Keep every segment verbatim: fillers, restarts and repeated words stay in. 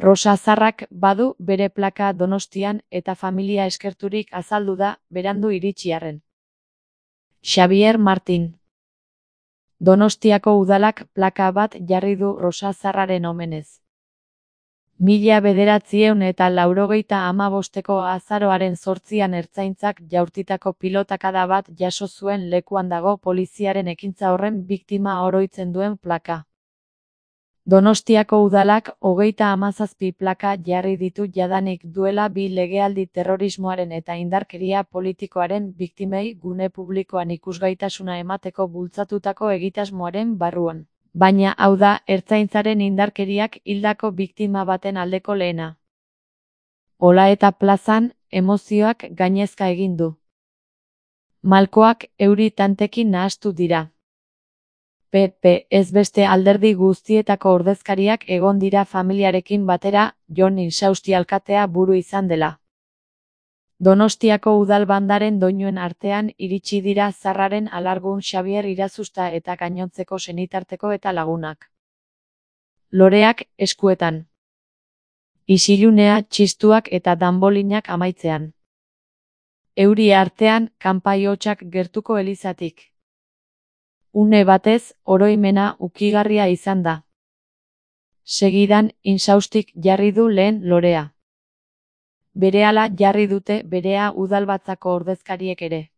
Rosa Zarrak badu bere plaka Donostian eta familia eskerturik azaldu da berandu iritsi-arren. Xabier Martin. Donostiako udalak plaka bat jarri du Rosa Zarraren omenez. Mila bederatziehun eta laurogeita hamabosteko azaroaren zortzian ertzaintzak jaurtitako pilotakada bat jaso zuen lekuan dago poliziaren ekintza horren biktima oroitzen duen plaka. Donostiako udalak hogeita hamazazpi plaka jarri ditu jadanik duela bi legealdi terrorismoaren eta indarkeria politikoaren biktimei gune publikoan ikusgaitasuna emateko bultzatutako egitasmoaren barruan. Baina hau da ertzaintzaren indarkeriak hildako biktima baten aldeko lehena. Hola eta plazan, emozioak gainezka egin du. Malkoak euri tantekin nahastu dira. P P ez beste alderdi guztietako ordezkariak egon dira familiarekin batera, Jon Insausti alkatea buru izan dela. Donostiako udalbandaren doinuen artean iritsi dira Zarraren alargun Xabier Irazusta eta gainontzeko senitarteko eta lagunak. Loreak eskuetan. Isilunea, txistuak eta danbolinak amaitzean. Euri artean, kanpai hotsak gertuko elizatik. Une batez, oroimena ukigarria izan da. Segidan, Insaustik jarri du lehen lorea. Berehala jarri dute berea udalbatzako ordezkariek ere.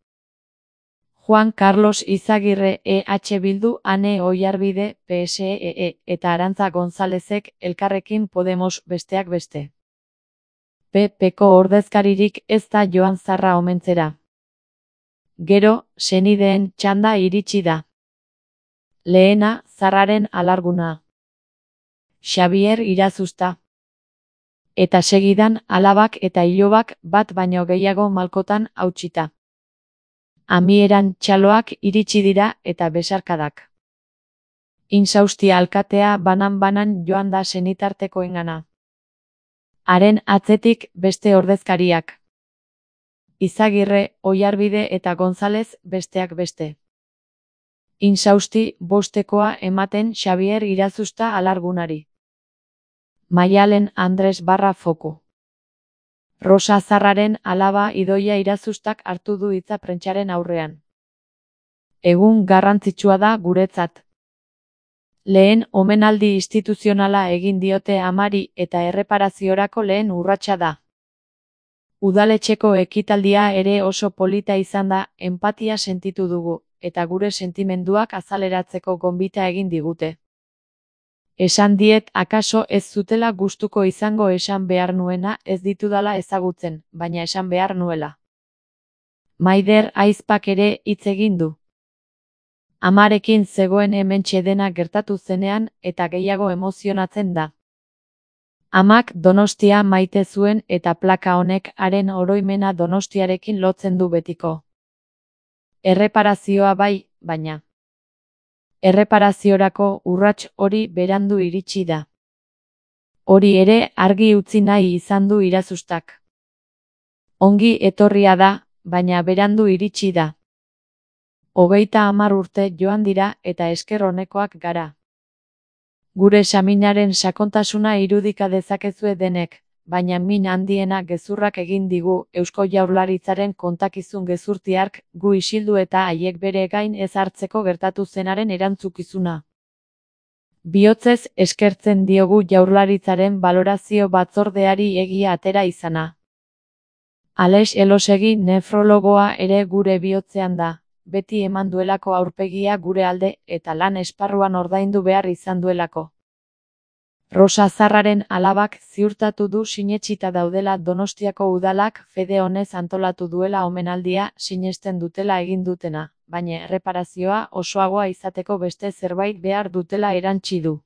Juan Carlos Izagirre E H Bildu, Ane Oiarbide P S E E eta Arantza Gonzalezek Elkarrekin Podemos besteak beste. P Pko ordezkaririk ez da joan Zarra omentzera. Gero, senideen txanda iritsi da. Lehena, Zarraren alarguna. Xabier Irazusta. Eta segidan, alabak eta ilobak bat baino gehiago malkotan hautsita. Amieran txaloak iritsi dira eta besarkadak. Insausti alkatea banan-banan joan da senitartekoengana. Haren atzetik beste ordezkariak. Izagirre, Oiarbide eta Gonzalez besteak beste. Insausti bostekoa ematen Xabier Irazusta alargunari. Maialen Andres barra foku. Rosa Zarraren alaba Idoia Irazustak hartu du hitza prentsaren aurrean. Egun garrantzitsua da guretzat. Lehen omenaldi instituzionala egin diote amari eta erreparaziorako lehen urratsa da. Udaletxeko ekitaldia ere oso polita izan da, enpatia sentitu dugu, eta gure sentimenduak azaleratzeko gonbita egin digute. Esan diet akaso ez zutela gustuko izango esan behar nuena ez ditudala ezagutzen, baina esan behar nuela. Maider Aizpak ere hitz egin du. Amarekin zegoen hementxe dena gertatu zenean eta gehiago emozionatzen da. Amak Donostia maite zuen eta plaka honek haren oroimena Donostiarekin lotzen du betiko. Erreparazioa bai, baina. Erreparaziorako urrats hori berandu iritsi da. Hori ere argi utzi nahi izan du Irazustak. Ongi etorria da, baina berandu iritsi da. Hogeita hamar urte joan dira eta esker onekoak gara. Gure saminaren sakontasuna irudika dezakezue denek, baina min handiena gezurrak egin digu Eusko Jaurlaritzaren kontakizun gezurtiark gu isildu eta haiek bere gain ez hartzeko gertatu zenaren erantzukizuna. Bihotzez eskertzen diogu Jaurlaritzaren balorazio batzordeari egia atera izana. Alex Elosegi nefrologoa ere gure bihotzean da, beti eman duelako aurpegia gure alde eta lan esparruan ordaindu behar izan duelako. Rosa Zarraren alabak ziurtatu du sinetsita daudela Donostiako udalak fede honez antolatu duela omenaldia sinesten dutela egin dutena, baina erreparazioa osoagoa izateko beste zerbait behar dutela erantsi du.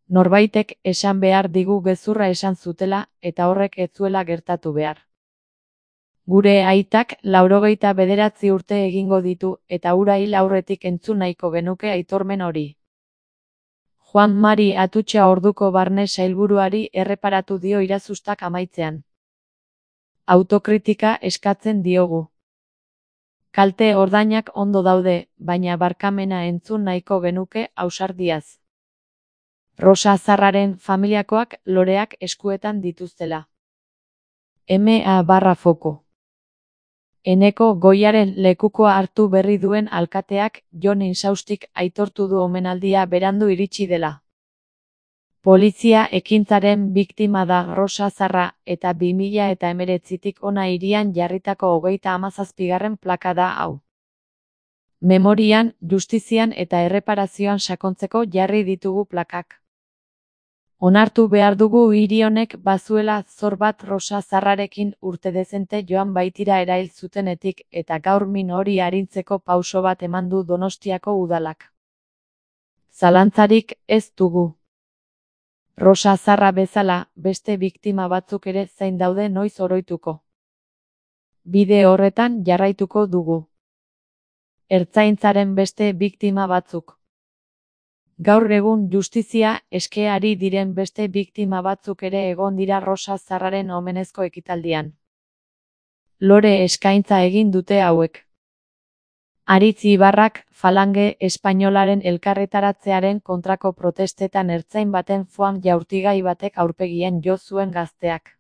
Norbaitek esan behar digu gezurra esan zutela eta horrek ez zuela gertatu behar. Gure aitak laurogeita bederatzi urte egingo ditu eta hura hil aurretik entzun nahiko genuke aitormen hori. Juan Mari Atutxa orduko barne sailburuari erreparatu dio Irazustak amaitzean. Autokritika eskatzen diogu. Kalte ordainak ondo daude, baina barkamena entzun nahiko genuke ausardiaz. Rosa Zarraren familiakoak loreak eskuetan dituztela. M A barra foko. Eneko Goiaren lekukoa hartu berri duen alkateak Jon Insaustik aitortu du omenaldia berandu iritsi dela. Polizia ekintzaren biktima da Rosa Zarra eta bi mila eta hemeretzitik hona hirian jarritako hogeita hamazazpigarren plaka da hau. Memorian, justizian eta erreparazioan sakontzeko jarri ditugu plakak. Onartu behar dugu hiri honek bazuela zor bat Rosa Zarrarekin urte dezente joan baitira erail zutenetik eta gaur min hori arintzeko pauso bat eman du Donostiako udalak. Zalantzarik ez dugu. Rosa Zarra bezala, beste biktima batzuk ere zain daude noiz oroituko. Bide horretan jarraituko dugu. Ertzaintzaren beste biktima batzuk. Gaur egun justizia eskeari diren beste biktima batzuk ere egon dira Rosa Zarraren omenezko ekitaldian. Lore eskaintza egin dute hauek. Aritz Ibarrak, Falange espainolaren elkarretaratzearen kontrako protestetan ertzain baten foam jaurtigai batek aurpegian jo zuen gazteak.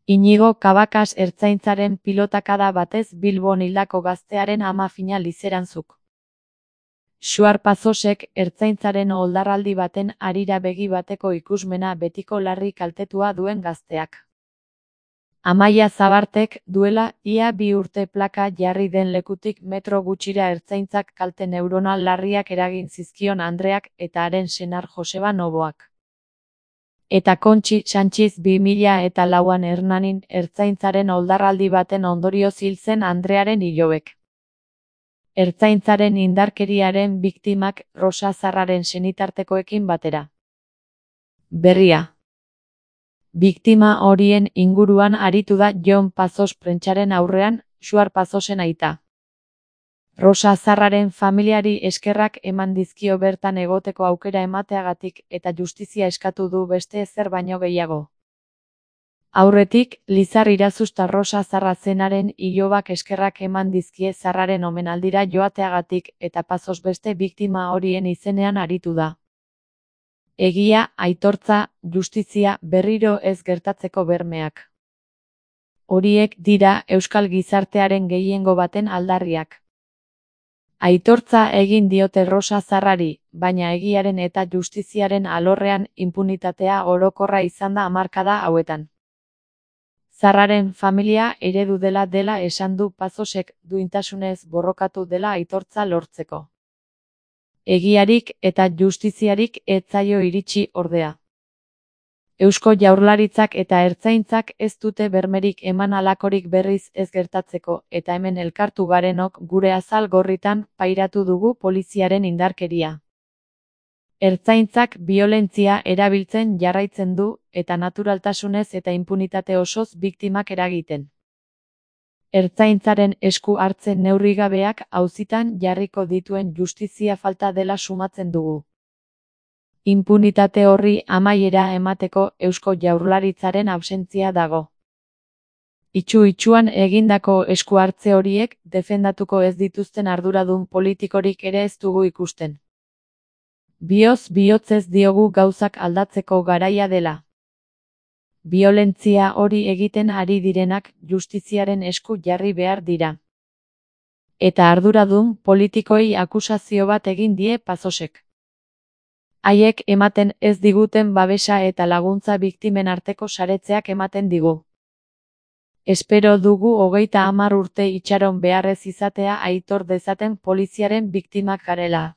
Inigo Kabakas ertzaintzaren pilotakada batez Bilbon hildako gaztearen ama fina lizeranzuk. Xuar Pazosek ertzaintzaren oldarraldi baten harira begi bateko ikusmena betiko larri kaltetua duen gazteak. Amaia Zabartek duela ia bi urte plaka jarri den lekutik metro gutxira ertzaintzak kalte neuronal larriak eragin zizkion Andreak eta haren senar Joseba Noboak. Eta Kontxi Sanchiz bi mila eta lauan Hernanin ertzaintzaren oldarraldi baten ondorioz hil zen Andrearen ilobek. Ertzaintzaren indarkeriaren biktimak Rosa Zarraren senitartekoekin batera. Berria. Biktima horien inguruan aritu da Jon Pazos prentsaren aurrean, Xuar Pazosen aita. Rosa Zarraren familiari eskerrak eman dizkio bertan egoteko aukera emateagatik eta justizia eskatu du beste ezer baino gehiago. Aurretik, Lizar Irazusta Rosa Zarra zenaren ilobak eskerrak eman dizkie Zarraren omenaldira joateagatik eta Pazos beste biktima horien izenean aritu da. Egia, aitortza, justizia berriro ez gertatzeko bermeak. Horiek dira euskal gizartearen gehiengo baten aldarriak. Aitortza egin diote Rosa Zarrari, baina egiaren eta justiziaren alorrean inpunitatea orokorra izan da hamarkada hauetan. Zarraren familia eredu dela dela esan du Pazosek duintasunez borrokatu dela aitortza lortzeko. Egiarik eta justiziarik ez zaio iritsi ordea. Eusko Jaurlaritzak eta Ertzaintzak ez dute bermerik eman halakorik berriz ez gertatzeko eta hemen elkartu garenok gure azal gorritan pairatu dugu poliziaren indarkeria. Ertzaintzak biolentzia erabiltzen jarraitzen du eta naturaltasunez eta inpunitate osoz biktimak eragiten. Ertzaintzaren esku hartzen neurrigabeak auzitan jarriko dituen justizia falta dela sumatzen dugu. Inpunitate horri amaiera emateko Eusko Jaurlaritzaren absentzia dago. Itxu-itxuan egindako esku hartze horiek defendatuko ez dituzten arduradun politikorik ere ez dugu ikusten. Bioz bihotzez diogu gauzak aldatzeko garaia dela. Biolentzia hori egiten ari direnak justiziaren esku jarri behar dira. Eta arduradun politikoi akusazio bat egin die Pazosek. Haiek ematen ez diguten babesa eta laguntza biktimen arteko saretzeak ematen digu. Espero dugu hogeita hamar urte itxaron beharrez izatea aitor dezaten poliziaren biktimak garela.